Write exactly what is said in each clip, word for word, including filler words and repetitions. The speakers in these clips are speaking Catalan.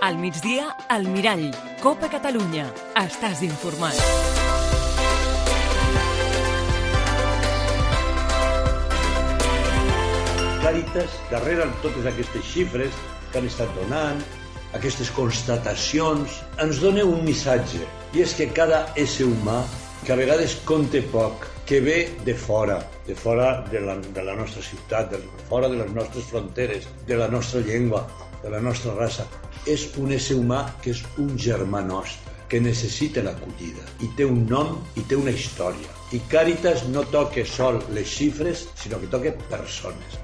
Al migdia, al Mirall. Copa Catalunya. Estàs informat. Càritas, darrere de totes aquestes xifres que han estat donant, aquestes constatacions, ens dona un missatge, i és que cada ésser humà, que a vegades compta poc, que ve de fora, de fora de la, de la nostra ciutat, de fora de les nostres fronteres, de la nostra llengua, de la nostra raça, és un ésser humà que és un germà nostre, que necessita l'acollida, i té un nom i té una història. I Càritas no toca sol les xifres, sinó que toca persones.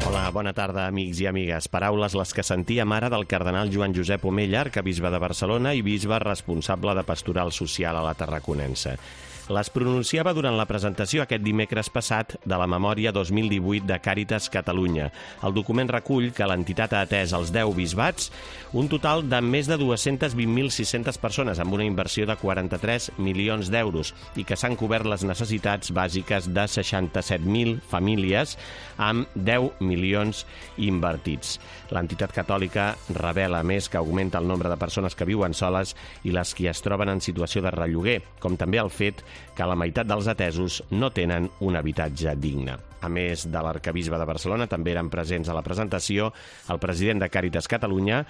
Hola, bona tarda, amics i amigues. Paraules les que sentíem ara del cardenal Joan Josep Omella, arquebisbe de Barcelona i bisbe responsable de Pastoral Social a la Tarraconense. Les pronunciava durant la presentació aquest dimecres passat de la Memòria dos mil divuit de Càritas Catalunya. El document recull que l'entitat ha atès als deu bisbats un total de més de dos-cents vint mil sis-centes persones amb una inversió de quaranta-tres milions d'euros i que s'han cobert les necessitats bàsiques de seixanta-set mil famílies amb deu milions invertits. L'entitat catòlica revela, més, que augmenta el nombre de persones que viuen soles i les que es troben en situació de relloguer, com també el fet que la meitat dels atesos no tenen un habitatge digne. A més de l'arquebisbe de Barcelona, també eren presents a la presentació el president de Càritas Catalunya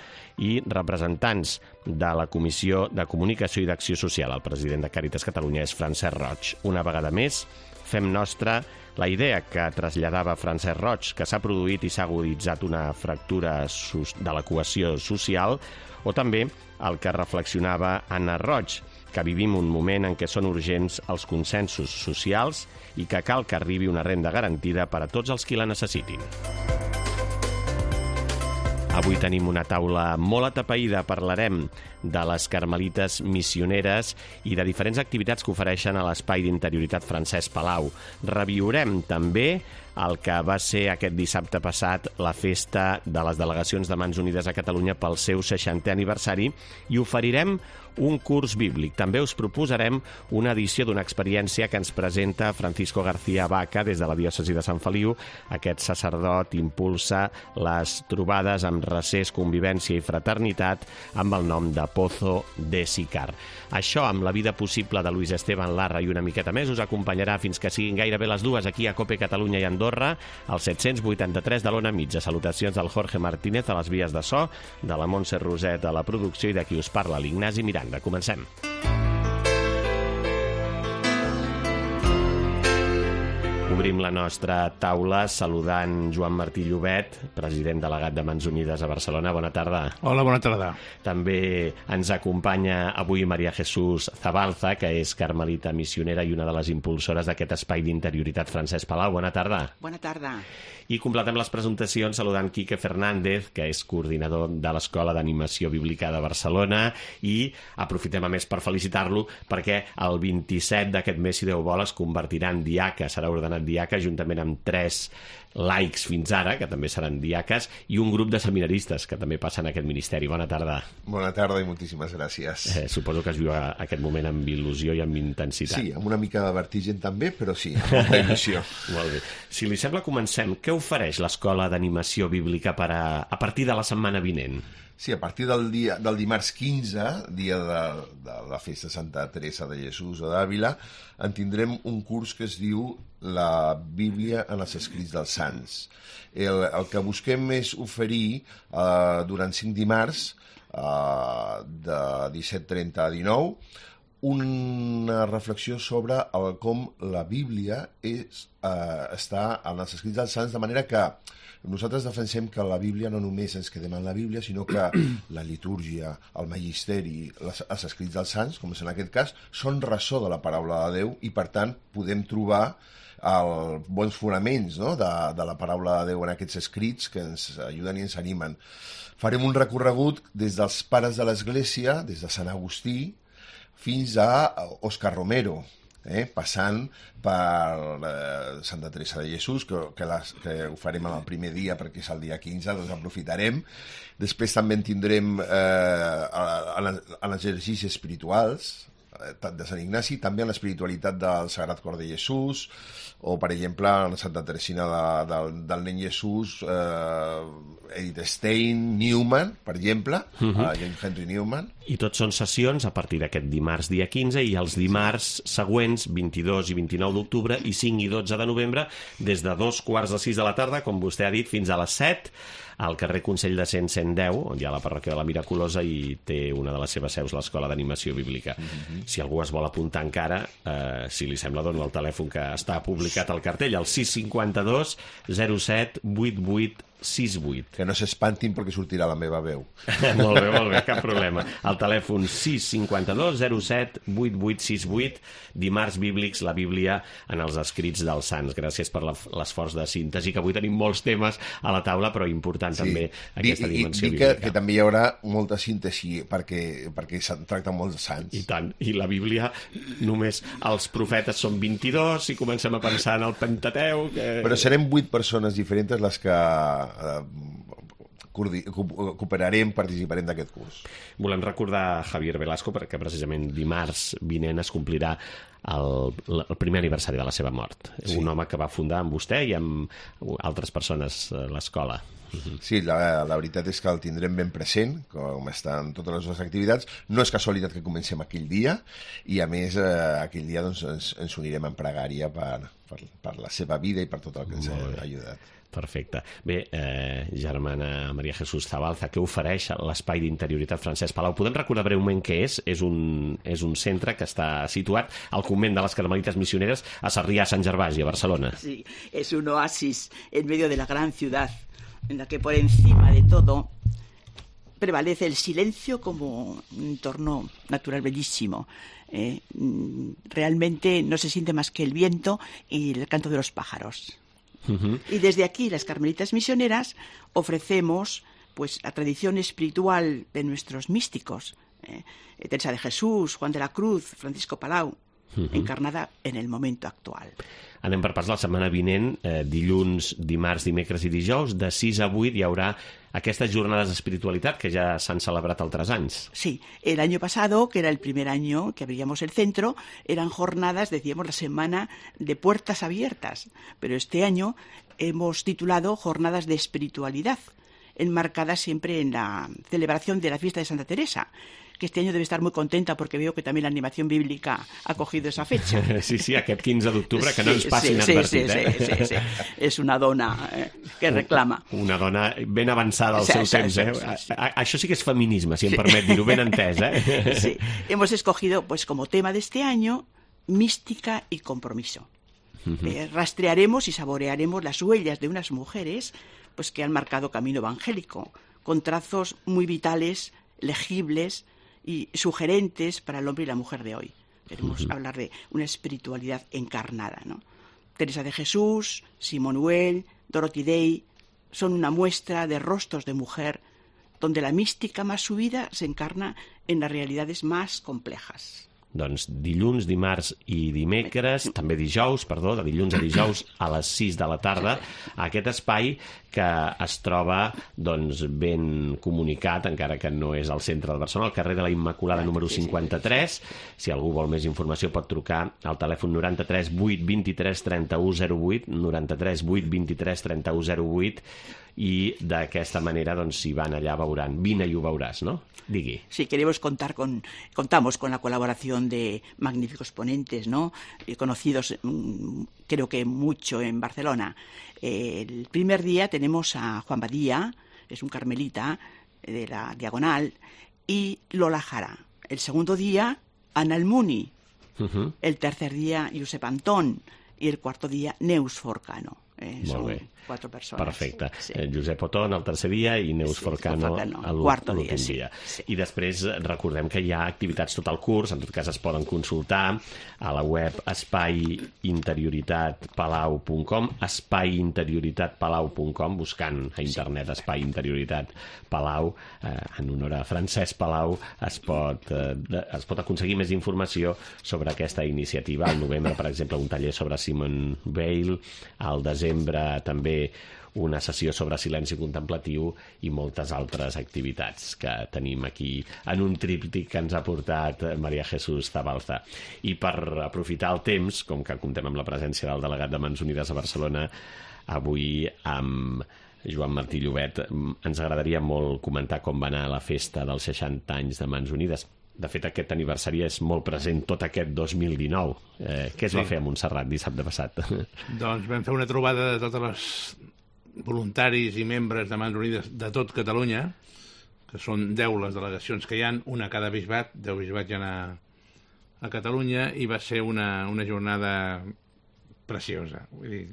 i representants de la Comissió de Comunicació i d'Acció Social. El president de Càritas Catalunya és Francesc Roig. Una vegada més, fem nostra la idea que traslladava Francesc Roig, que s'ha produït i s'ha aguditzat una fractura de la cohesió social, o també el que reflexionava Anna Roig, que vivim un moment en què són urgents els consensos socials i que cal que arribi una renda garantida per a tots els qui la necessitin. Avui tenim una taula molt atapeïda. Parlarem de les carmelites missioneres i de diferents activitats que ofereixen a l'Espai d'Interioritat Francesc Palau. Reviurem també el que va ser aquest dissabte passat la festa de les delegacions de Mans Unides a Catalunya pel seu seixantè aniversari i oferirem un curs bíblic. També us proposarem una edició d'una experiència que ens presenta Francisco García Vaca des de la diòcesi de Sant Feliu. Aquest sacerdot impulsa les trobades amb recés, convivència i fraternitat amb el nom de Pozo de Sicar. Això, amb la vida possible de Luis Esteban Larra i una miqueta més, us acompanyarà fins que siguin gairebé les dues aquí a Cope Catalunya i Andorra, al set-cents vuitanta-tres de l'Ona Mitja. Salutacions del Jorge Martínez a les vies de so, de la Montse Roset a la producció i de qui us parla, l'Ignasi Miranda. Comencem. Obrim la nostra taula saludant Joan Martí Llobet, president delegat de Mans Unides a Barcelona. Bona tarda. Hola, bona tarda. També ens acompanya avui Maria Jesús Zabalza, que és carmelita missionera i una de les impulsores d'aquest espai d'interioritat Francesc Palau. Bona tarda. Bona tarda. I completem les presentacions saludant Quique Fernández, que és coordinador de l'Escola d'Animació Bíblica de Barcelona, i aprofitem a més per felicitar-lo perquè el vint-i-set d'aquest mes, si Déu vol, es convertirà en diaca, serà ordenat diaca juntament amb tres laics fins ara, que també seran diaques, i un grup de seminaristes que també passen a aquest ministeri. Bona tarda. Bona tarda i moltíssimes gràcies. Eh, suposo que es viu a aquest moment amb il·lusió i amb intensitat. Sí, amb una mica de vertigen també, però sí, amb molta il·lusió. Molt bé. Si li sembla, comencem. Què ofereix l'Escola d'Animació Bíblica per a, a partir de la setmana vinent? Sí, a partir del, dia, del dimarts quinze, dia de, de la festa Santa Teresa de Jesús a d'Àvila, en tindrem un curs que es diu La Bíblia en els escrits dels Sants. El, el que busquem és oferir eh, durant cinc dimarts, eh, de disset trenta a dinou, una reflexió sobre el, com la Bíblia és, eh, està en els escrits dels Sants, de manera que nosaltres defensem que la Bíblia no només ens quedem en la Bíblia, sinó que la litúrgia, el magisteri, les, els escrits dels Sants, com és en aquest cas, són ressò de la paraula de Déu i, per tant, podem trobar el, bons fonaments, no?, de, de la paraula de Déu en aquests escrits que ens ajuden i ens animen. Farem un recorregut des dels pares de l'Església, des de Sant Agustí, fins a Òscar Romero, eh, passant per eh, Santa Teresa de Jesús, que, que, les, que ho farem el primer dia perquè és el dia quinze, doncs aprofitarem. Després també en tindrem eh, en els exercicis espirituals, de Sant Ignasi, també en l'espiritualitat del Sagrat Cor de Jesús, o, per exemple, en Santa Teresina de, de, del Nen Jesús, eh, Edith Stein, Newman, per exemple, uh -huh. uh, James Henry Newman. I tots són sessions a partir d'aquest dimarts dia quinze i els dimarts següents, vint-i-dos i vint-i-nou d'octubre i cinc i dotze de novembre, des de dos quarts de sis de la tarda, com vostè ha dit, fins a les set, al carrer Consell de Cent cent deu, on hi ha la parròquia de la Miraculosa i té una de les seves seus l'Escola d'Animació Bíblica. Mm-hmm. Si algú es vol apuntar encara, eh, si li sembla, dono el telèfon que està publicat al cartell, el sis cinquanta-dos zero set vuit vuit sis vuit. Que no s'espantin perquè sortirà la meva veu. Molt bé, molt bé, cap problema. El telèfon sis cinquanta-dos zero set vuit vuit sis vuit, dimarts bíblics, la Bíblia en els escrits dels sants. Gràcies per l'esforç de síntesi, que avui tenim molts temes a la taula, però important sí. també aquesta dimensió I, i, bíblica. Que, que també hi haurà molta síntesi perquè, perquè se'n tracta molts sants. I tant. I la Bíblia, només els profetes són vint-i-dos, si comencem a pensar en el Pentateuc... Eh... Però serem vuit persones diferents les que cooperarem, participarem d'aquest curs. Volem recordar Javier Velasco perquè precisament dimarts vinent es complirà el, el primer aniversari de la seva mort. Sí. Un home que va fundar amb vostè i amb altres persones l'escola. Sí, la, la veritat és que el tindrem ben present, com estan totes les nostres activitats. No és casualitat que comencem aquell dia i, a més, eh, aquell dia doncs, ens, ens unirem en pregària per, per, per la seva vida i per tot el que ens ha ajudat. Perfecte. Bé, eh, germana Maria Jesús Zabalza, què ofereix l'Espai d'Interioritat Francesc Palau? Podem recordar breument què és? És un, és un centre que està situat al convent de les Carmelites Missioneres a Sarrià, Sant Gervasi, a Barcelona. Sí, es un oasis en medio de la gran ciudad, en la que por encima de todo prevalece el silencio como un entorno natural bellísimo. Eh, realmente no se siente más que el viento y el canto de los pájaros. Uh-huh. Y desde aquí, las Carmelitas Misioneras, ofrecemos pues la tradición espiritual de nuestros místicos, eh, Teresa de Jesús, Juan de la Cruz, Francisco Palau, uh-huh. encarnada en el momento actual. Anem per parts la setmana vinent, eh, dilluns, dimarts, dimecres i dijous, de sis a vuit hi haurà aquestes jornades d'espiritualitat que ya s'han celebrat altres anys. Sí, el año pasado, que era el primer año que abríamos el centro, eran jornadas, decíamos, la semana de puertas abiertas, pero este año hemos titulado Jornadas de Espiritualidad, enmarcadas siempre en la celebración de la fiesta de Santa Teresa, que este año debe estar muy contenta porque veo que también la animación bíblica ha cogido esa fecha. Sí, sí, aquest quinze d'octubre, que no ens passin sí, advertit. Sí, eh? sí, sí, sí. És una dona eh, que reclama. Una dona ben avançada al sí, seu sí, temps. Eh? Sí, sí, sí. A, a, això sí que és feminisme, si em permet dir-ho, ben entès. Eh? Sí, hemos escogido pues como tema de este año mística y compromiso. Uh-huh. Eh, rastrearemos y saborearemos las huellas de unas mujeres pues que han marcado camino evangélico, con trazos muy vitales, legibles y sugerentes para el hombre y la mujer de hoy. Queremos uh-huh. hablar de una espiritualidad encarnada, ¿no? Teresa de Jesús, Simone Dorothy Day son una muestra de rostros de mujer donde la mística más subida se encarna en las realidades más complejas. Doncs dilluns, dimarts i dimecres, també dijous, perdó, de dilluns a dijous a les sis de la tarda, a aquest espai que es troba doncs, ben comunicat, encara que no és al centre de Barcelona, al carrer de la Immaculada número cinquanta-tres. Si algú vol més informació pot trucar al telèfon noranta-tres vuit vint-i-tres trenta-u zero vuit, noranta-tres vuit vint-i-tres trenta-u zero vuit, i d'aquesta manera, doncs, si van allà veuran. Vine i ho veuràs, no? Digui. Sí, queremos contar con, contamos con la colaboración de magníficos ponentes, ¿no? Eh, conocidos, mmm, creo que mucho en Barcelona. Eh, el primer día tenemos a Juan Badía, es un carmelita de la Diagonal, y Lola Jara. El segundo día, Ana Almuni. Uh-huh. El tercer día, Josep Antón. I el quarto dia, Neus Forcano. Eh, Molt bé. Quatre persones. Perfecte. Sí. Eh, Josep Otón el tercer dia i Neus sí, Forcano l'últim dia. Sí, dia. Sí. I després recordem que hi ha activitats tot el curs, en tot cas es poden consultar a la web espai interioritat palau punt com, espai interioritat palau punt com, buscant a internet sí. Espai Interioritat Palau, eh, en honor a Francesc Palau, es pot, eh, es pot aconseguir més informació sobre aquesta iniciativa. Al novembre, per exemple, un taller sobre Simone Weil, al desembre desembre també una sessió sobre silenci contemplatiu i moltes altres activitats que tenim aquí en un tríptic que ens ha portat María Jesús Zabalza. I per aprofitar el temps, com que comptem amb la presència del delegat de Mans Unides a Barcelona, avui amb Joan Martí Llobet, ens agradaria molt comentar com va anar la festa dels seixanta anys de Mans Unides. De fet, aquest aniversari és molt present tot aquest dos mil dinou. Eh, què es sí. va fer a Montserrat dissabte passat? Doncs vam fer una trobada de totes les voluntaris i membres de Mans Unides de tot Catalunya, que són deu les delegacions que hi ha, una a cada bisbat, deu bisbats hi ha a, a Catalunya, i va ser una, una jornada preciosa. Vull dir,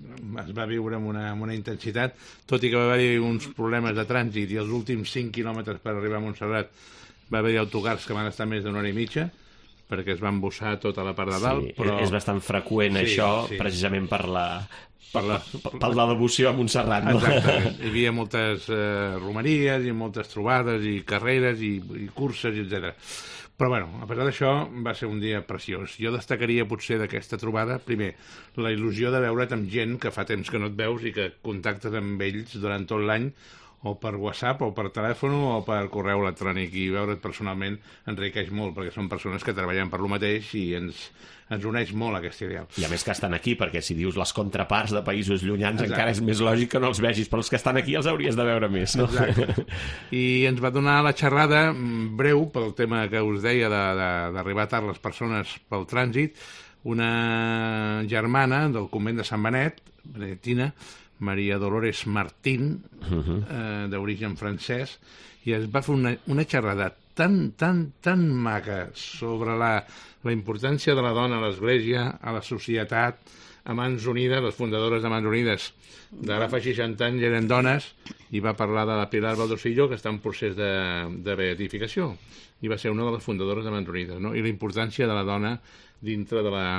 es va viure amb una, amb una intensitat, tot i que va haver-hi uns problemes de trànsit i els últims cinc quilòmetres per arribar a Montserrat va haver-hi autocars que van estar més d'una hora i mitja, perquè es va embussar tota la part de dalt. Sí, però... és bastant freqüent sí, això, sí. precisament per la... Per la, per la devoció a Montserrat, no? Exactament. Hi havia moltes eh, romeries i moltes trobades i carreres i, i curses, etcètera. Però, bueno, a pesar d'això, va ser un dia preciós. Jo destacaria, potser, d'aquesta trobada, primer, la il·lusió de veure't amb gent que fa temps que no et veus i que contactes amb ells durant tot l'any, o per WhatsApp, o per telèfon, o per correu electrònic, i veure't personalment enriqueix molt, perquè són persones que treballen per lo mateix i ens, ens uneix molt aquest ideal. I a més que estan aquí, perquè si dius les contraparts de països llunyans, exacte, encara és més lògic que no els vegis, però els que estan aquí els hauries de veure més, no? Exacte. I ens va donar la xerrada breu, pel tema que us deia d'arribar tard les persones pel trànsit, una germana del convent de Sant Benet, benetina, Maria Dolores Martín, uh-huh. eh, d'origen francès, i es va fer una, una xerrada tan, tan, tan maca sobre la, la importància de la dona a l'Església, a la societat, a Mans Unides, les fundadores de Mans Unides d'ara fa seixanta anys eren dones, i va parlar de la Pilar Valdocillo, que està en procés de, de beatificació, i va ser una de les fundadores de Mans Unides, no? I la importància de la dona dintre de la...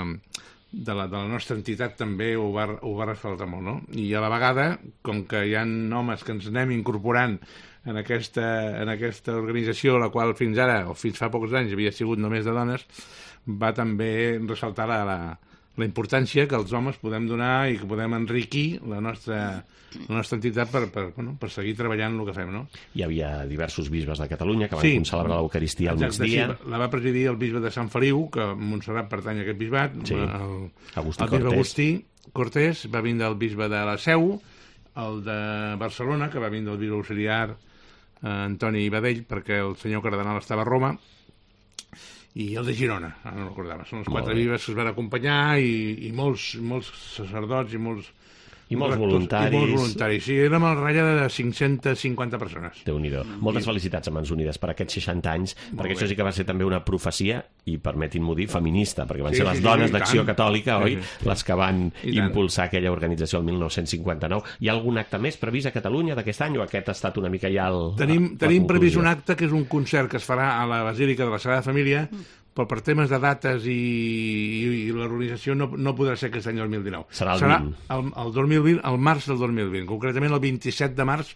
De la, de la nostra entitat també ho va, ho va ressaltar molt, no? I a la vegada, com que hi ha homes que ens anem incorporant en aquesta, en aquesta organització, la qual fins ara, o fins fa pocs anys, havia sigut només de dones, va també ressaltar la, la, la importància que els homes podem donar i que podem enriquir la nostra, la nostra entitat per, per, bueno, per seguir treballant el que fem, no? Hi havia diversos bisbes de Catalunya que van sí, celebrar l'Eucaristia al exacte, migdia. Sí, la va presidir el bisbe de Sant Feliu, que Montserrat pertany a aquest bisbat, sí. el, Agustí el bisbe Agustí Cortés, va vindre el bisbe de la Seu, el de Barcelona, que va vindre el bisbe auxiliar eh, Antoni Badell, perquè el senyor cardenal estava a Roma, i el de Girona, no recordava. Són els quatre bisbes que es van acompanyar i, i molts, molts sacerdots i molts I molts rectors, voluntaris. I molts voluntaris. Sí, érem al ratlla de cinc-centes cinquanta persones. Déu-n'hi-do. Moltes felicitats a Mans Unides per aquests seixanta anys, molt perquè bé. Això sí que va ser també una profecia, i permetin-m'ho dir, feminista, perquè van sí, ser les sí, dones sí, d'Acció tant. Catòlica, sí, oi? Sí. Les que van I impulsar tant. aquella organització el mil nou-cents cinquanta-nou. Hi ha algun acte més previst a Catalunya d'aquest any, o aquest ha estat una mica ja el, Tenim, la, tenim la previst un acte que és un concert que es farà a la Basílica de la Sagrada Família, però per temes de dates i, i, i l'organització no, no podrà ser aquest any dos mil dinou. Serà el Serà vint. el, el dos mil vint, el març del dos mil vint, concretament el vint-i-set de març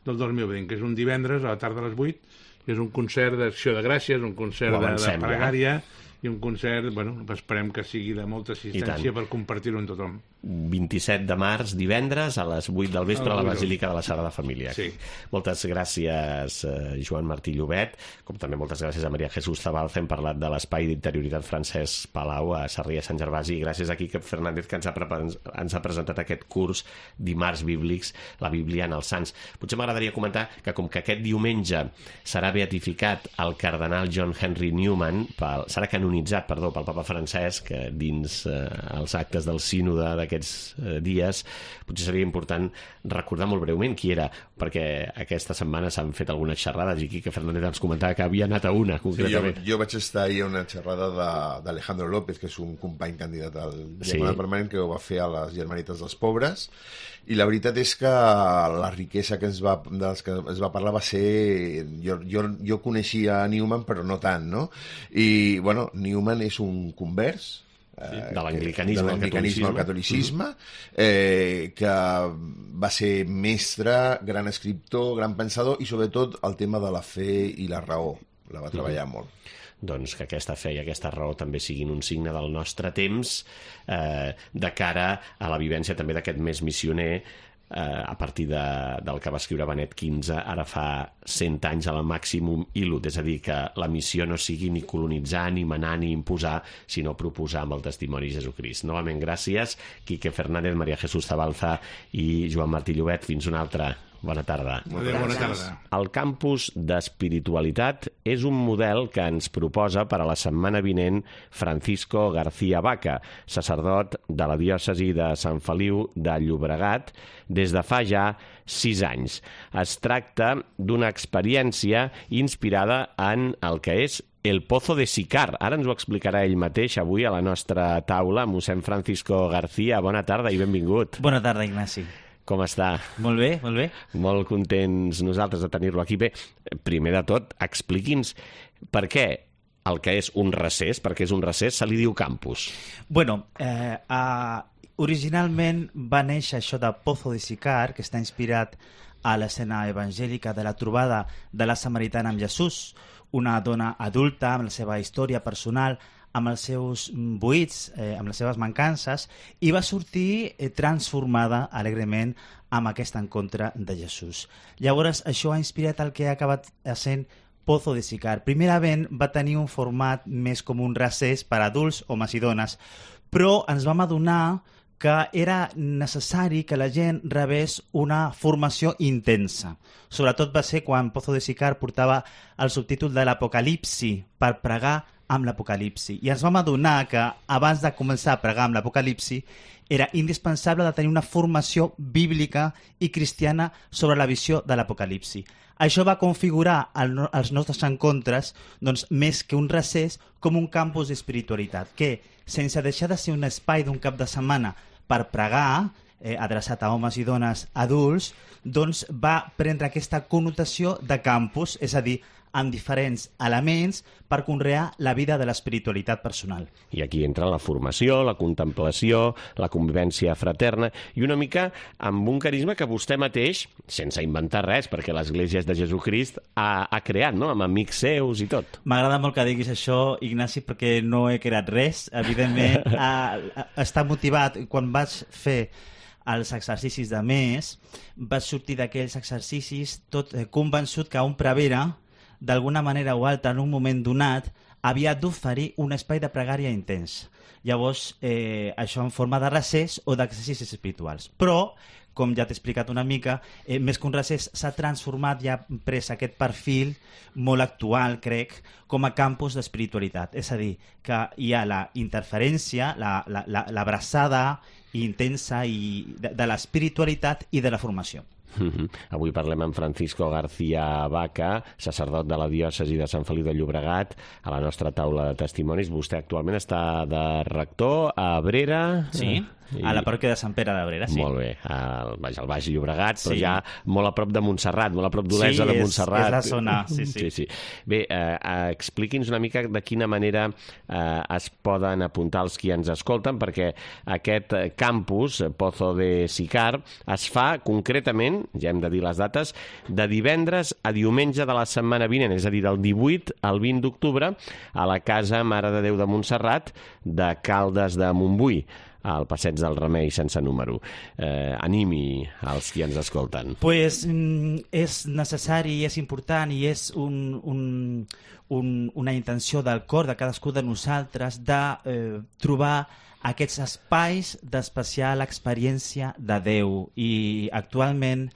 del dos mil vint, que és un divendres a la tarda a les vuit, que és un concert d'acció de gràcies, un concert de, de pregària, i un concert, bueno, esperem que sigui de molta assistència per compartir-ho amb tothom. vint-i-set de març, divendres, a les vuit del vespre, a la Basílica de la Sagrada Família. Sí. Moltes gràcies, eh, Joan Martí Llobet, com també moltes gràcies a María Jesús Zabalza. Hem parlat de l'Espai d'Interioritat Francesc Palau a Sarrià Sant Gervasi, i gràcies a Quique Fernández, que ens ha, ens ha presentat aquest curs Dimarts Bíblics, la Bíblia en els Sants. Potser m'agradaria comentar que, com que aquest diumenge serà beatificat el cardenal John Henry Newman, pel, serà canonitzat, perdó, pel papa Francesc, dins eh, els actes del sínode d'aquests eh, dies, potser seria important recordar molt breument qui era, perquè aquesta setmana s'han fet algunes xerrades, i Quique Fernández ens comentava que havia anat a una, concretament. Sí, jo, jo vaig estar ahir a una xerrada d'Alejandro López, que és un company candidat al sí. Diaconat Permanent, que ho va fer a les Germanites dels Pobres, i la veritat és que la riquesa que ens va, dels que es va parlar va ser... Jo, jo, jo coneixia Newman, però no tant, no? I, bueno, Newman és un convers, sí, de l'anglicanisme al catolicisme, al catolicisme eh, que va ser mestre, gran escriptor, gran pensador, i sobretot el tema de la fe i la raó la va treballar molt. doncs, que aquesta fe i aquesta raó també siguin un signe del nostre temps eh, de cara a la vivència també d'aquest mes missioner eh, a partir de, del que va escriure Benet quinze, ara fa cent anys a la Maximum Illud, és a dir, que la missió no sigui ni colonitzar, ni manar, ni imposar, sinó proposar amb el testimoni de Jesucrist. Novament, gràcies, Quique Fernández, Maria Jesús Zabalza i Joan Martí Llobet. Fins una altra. Bona tarda. Adéu, bona tarda. El campus d'espiritualitat és un model que ens proposa per a la setmana vinent Francisco García Vaca, sacerdot de la diòcesi de Sant Feliu de Llobregat, des de fa ja sis anys. Es tracta d'una experiència inspirada en el que és el Pozo de Sicar. Ara ens ho explicarà ell mateix avui a la nostra taula. Mossèn Francisco García, bona tarda i benvingut. Bona tarda, Ignasi. Com està? Molt bé, molt bé. Molt contents nosaltres de tenir-lo aquí. Bé, primer de tot, expliqui'ns per què el que és un recés, perquè és un recés, se li diu campus. Bueno, eh, uh, originalment va néixer això de Pozo de Sicar, que està inspirat a l'escena evangèlica de la trobada de la Samaritana amb Jesús, una dona adulta amb la seva història personal, amb els seus buits, eh, amb les seves mancances, i va sortir eh, transformada alegrement amb aquest encontre de Jesús. Llavors, això ha inspirat el que ha acabat sent Pozo de Sicar. Primerament va tenir un format més com un recés per a adults, homes i dones, però ens vam adonar que era necessari que la gent rebés una formació intensa. Sobretot va ser quan Pozo de Sicar portava el subtítol de l'Apocalipsi per pregar amb l'Apocalipsi. I ens vam adonar que abans de començar a pregar amb l'Apocalipsi era indispensable de tenir una formació bíblica i cristiana sobre la visió de l'Apocalipsi. Això va configurar el, els nostres encontres, doncs, més que un recés, com un campus d'espiritualitat, que, sense deixar de ser un espai d'un cap de setmana per pregar, eh, adreçat a homes i dones adults, doncs va prendre aquesta connotació de campus, és a dir, amb diferents elements per conrear la vida de l'espiritualitat personal. I aquí entra la formació, la contemplació, la convivència fraterna i una mica amb un carisma que vostè mateix, sense inventar res, perquè l'Església és de Jesucrist, ha, ha creat, no?, amb amics seus i tot. M'agrada molt que diguis això, Ignasi, perquè no he creat res. Evidentment, a, a, està motivat. Quan vaig fer els exercicis de mes, vaig sortir d'aquells exercicis tot eh, convençut que un prevere, d'alguna manera o altra, en un moment donat, havia d'oferir un espai de pregària intens. Llavors, eh, això en forma de recés o d'exercicis espirituals. Però, com ja t'he explicat una mica, eh, més que un recés s'ha transformat i ha pres aquest perfil molt actual, crec, com a campus d'espiritualitat. És a dir, que hi ha la interferència, l'abraçada la, la, intensa i de, de l'espiritualitat i de la formació. Mm-hmm. Avui parlem amb Francisco García Vaca, sacerdot de la diòcesi de Sant Feliu de Llobregat, a la nostra taula de testimonis. Vostè actualment està de rector a Abrera. Sí, i... a la parròquia de Sant Pere d'Abrera, sí. Molt bé, al Baix, al Baix Llobregat, però sí, ja molt a prop de Montserrat, molt a prop d'Olesa, sí, de Montserrat. Sí, és la zona, sí, sí. sí, sí. Bé, eh, expliqui'ns una mica de quina manera eh, es poden apuntar els qui ens escolten, perquè aquest campus, Pozo de Sicar, es fa concretament, ja hem de dir les dates, de divendres a diumenge de la setmana vinent, és a dir, del divuit al vint d'octubre, a la Casa Mare de Déu de Montserrat de Caldes de Montbui, al Passeig del Remei sense número. Eh, animi als qui ens escolten. Pues mm, és necessari, és important i és un, un, un, una intenció del cor de cadascú de nosaltres de eh, trobar aquests espais d'especial experiència de Déu. I actualment,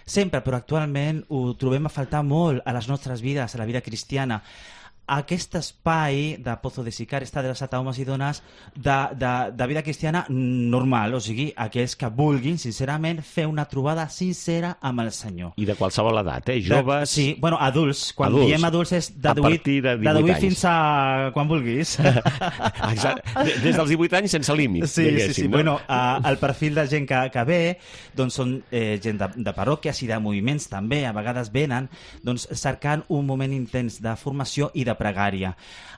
sempre, però actualment ho trobem a faltar molt a les nostres vides, a la vida cristiana. Aquest espai de Pozo de Sicar està adreçat a homes i dones de, de, de vida cristiana normal, o sigui, aquells que vulguin, sincerament, fer una trobada sincera amb el Senyor. I de qualsevol edat, eh? Joves... De, sí, bueno, adults. Quan adults. diem adults és de divuit, de divuit, de divuit fins a quan vulguis. Exacte. Des dels divuit anys sense límit. Sí, sí, sí. No? Bueno, uh, el perfil de gent que, que ve doncs són eh, gent de, de parròquies i de moviments també, a vegades venen doncs, cercant un moment intens de formació i de pregària.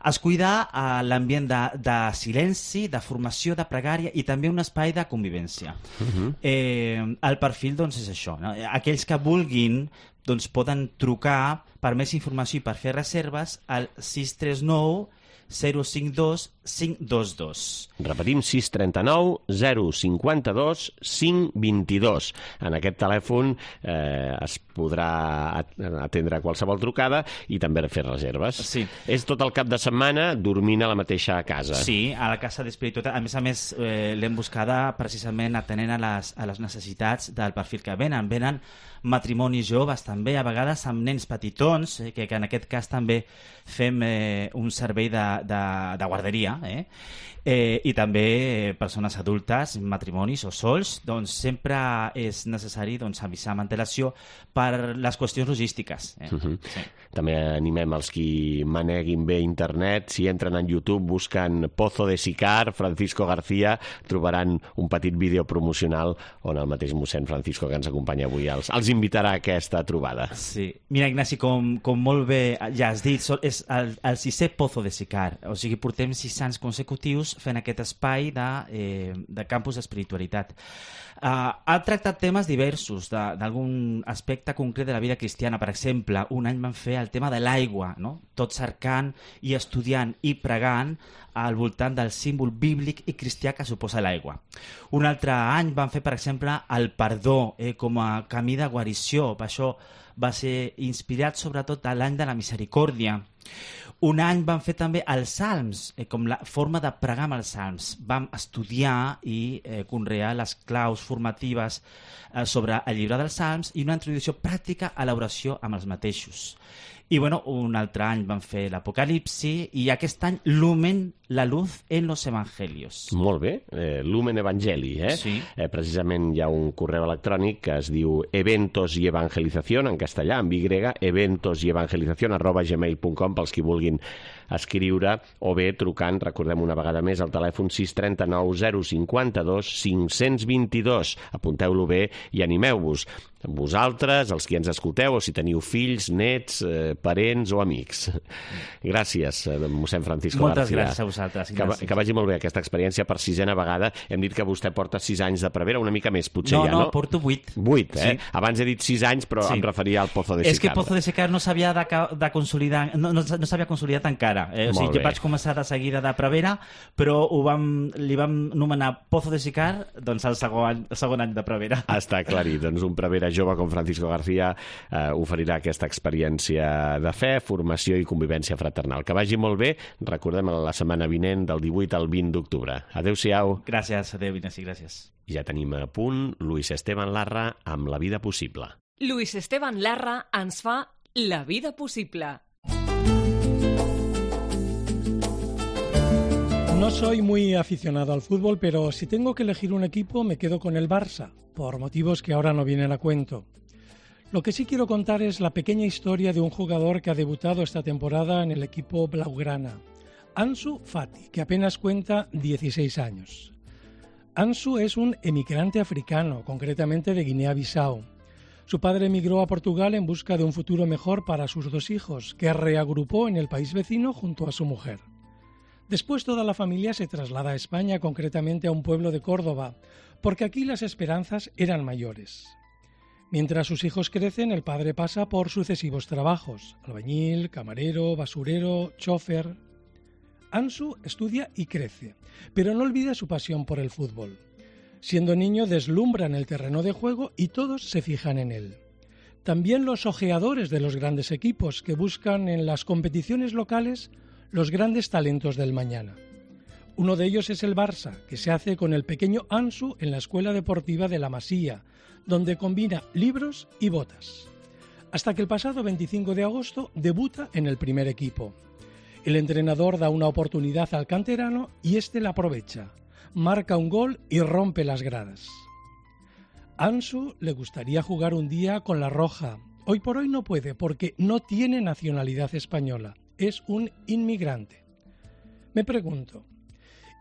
Es cuida uh, l'ambient de, de silenci, de formació, de pregària i també un espai de convivència. Uh-huh. eh, el perfil doncs, és això. No? Aquells que vulguin doncs poden trucar per més informació i per fer reserves al sis tres nou zero cinc dos cinc dos dos. Repetim, sis tres nou zero cinc dos cinc dos dos. En aquest telèfon eh, es podrà atendre qualsevol trucada i també fer reserves. Sí. És tot el cap de setmana dormint a la mateixa casa. Sí, a la casa d'Espiritualitat. A més a més, eh, l'hem buscada precisament atenent a les, a les necessitats del perfil que venen. Venen matrimonis joves també, a vegades amb nens petitons, eh, que, que en aquest cas també fem eh, un servei de, de, de guarderia, eh? Eh, i també eh, persones adultes, matrimonis o sols, doncs sempre és necessari doncs, avisar amb antelació per les qüestions logístiques. Eh? Uh-huh. Sí. També animem els qui maneguin bé internet. Si entren en YouTube, busquen Pozo de Sicar, Francisco García, trobaran un petit vídeo promocional on el mateix mossèn Francisco, que ens acompanya avui, els, els invitarà a aquesta trobada. Sí. Mira, Ignasi, com, com molt bé ja has dit, és el, el sisè Pozo de Sicar. O sigui, portem sis anys consecutius fent aquest espai de, eh, de campus d'espiritualitat. Uh, ha tractat temes diversos d'algun aspecte concret de la vida cristiana. Per exemple, un any van fer el tema de l'aigua, no? Tot cercant i estudiant i pregant al voltant del símbol bíblic i cristià que suposa l'aigua. Un altre any van fer, per exemple, el perdó eh, com a camí de guarició. Això va ser inspirat sobretot a l'any de la misericòrdia. Un any van fer també els salms, eh, com la forma de pregar amb els salms. Vam estudiar i eh, conrear les claus formatives eh, sobre el llibre dels salms i una introducció pràctica a l'oració amb els mateixos. I bueno, un altre any van fer l'Apocalipsi i aquest any Lumen, la luz en los evangelios. Molt bé, eh, Lumen Evangeli, eh? Sí. Eh, precisament hi ha un correu electrònic que es diu eventos y evangelización, en castellà, amb Y, eventos y evangelización arroba gmail punt com, pels qui vulguin escriure, o bé trucant, recordem una vegada més, al telèfon sis tres nou zero cinc dos cinc dos dos. Apunteu-lo bé i animeu-vos. Vosaltres, els qui ens escolteu, o si teniu fills, nets, eh, parents o amics. Gràcies, eh, mossèn Francisco Moltes García. gràcies a vosaltres. Que, que vagi molt bé aquesta experiència per sisena vegada. Hem dit que vostè porta sis anys de prevera, una mica més, potser no, ja, no? No, porto vuit. Vuit, eh? Sí. Abans he dit sis anys, però Sí. em referia al Pozo de Sicar. És que Pozo de Sicar no s'havia de, de consolidar, no, no, no s'havia consolidat encara. Eh? O Molt sigui, bé. jo vaig començar de seguida de prevera, però ho vam, li vam nomenar Pozo de Sicar doncs, el, segon, el segon any de prevera. Està aclarit. Doncs un prevera jove com Francisco García eh, oferirà aquesta experiència de fe, formació i convivència fraternal. Que vagi molt bé. Recordem la setmana vinent del divuit al vint d'octubre. Adéu-siau. Gràcies, adéu, Ignasi, gràcies. Ja tenim a punt Luis Esteban Larra amb La vida possible. Luis Esteban Larra ens fa La vida possible. No soy muy aficionado al fútbol, pero si tengo que elegir un equipo me quedo con el Barça, por motivos que ahora no vienen a cuento. Lo que sí quiero contar es la pequeña historia de un jugador que ha debutado esta temporada en el equipo blaugrana, Ansu Fati, que apenas cuenta dieciséis años. Ansu es un emigrante africano, concretamente de Guinea-Bissau. Su padre emigró a Portugal en busca de un futuro mejor para sus dos hijos, que reagrupó en el país vecino junto a su mujer. Después toda la familia se traslada a España, concretamente a un pueblo de Córdoba, porque aquí las esperanzas eran mayores. Mientras sus hijos crecen, el padre pasa por sucesivos trabajos: albañil, camarero, basurero, chofer. Ansu estudia y crece, pero no olvida su pasión por el fútbol. Siendo niño deslumbra en el terreno de juego y todos se fijan en él. También los ojeadores de los grandes equipos que buscan en las competiciones locales los grandes talentos del mañana. Uno de ellos es el Barça, que se hace con el pequeño Ansu en la Escuela Deportiva de la Masía, donde combina libros y botas. Hasta que el pasado veinticinco de agosto debuta en el primer equipo. El entrenador da una oportunidad al canterano y éste la aprovecha. Marca un gol y rompe las gradas. Ansu le gustaría jugar un día con la roja. Hoy por hoy no puede porque no tiene nacionalidad española. Es un inmigrante. Me pregunto,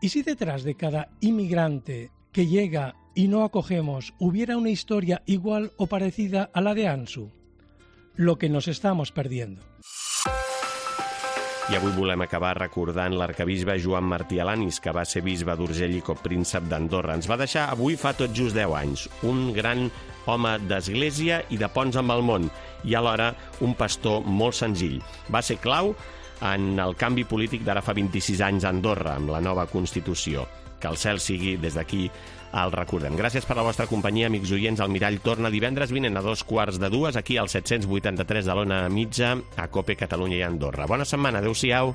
¿y si detrás de cada inmigrante que llega y no acogemos hubiera una historia igual o parecida a la de Ansu? Lo que nos estamos perdiendo. I avui volem acabar recordant l'arcabisbe Joan Martí Alanis, que va ser bisbe d'Urgell i copríncep d'Andorra. Ens va deixar avui fa tot just deu anys. Un gran home d'església i de ponts amb el món, i alhora un pastor molt senzill. Va ser clau en el canvi polític d'ara fa vint-i-sis anys a Andorra, amb la nova Constitució. Que el cel sigui, des d'aquí, el recordem. Gràcies per la vostra companyia, amics oients. El Mirall torna divendres vinent a dos quarts de dues, aquí al set-cents vuitanta-tres de l'Ona Mitja, a Cope Catalunya i Andorra. Bona setmana, adeu-siau.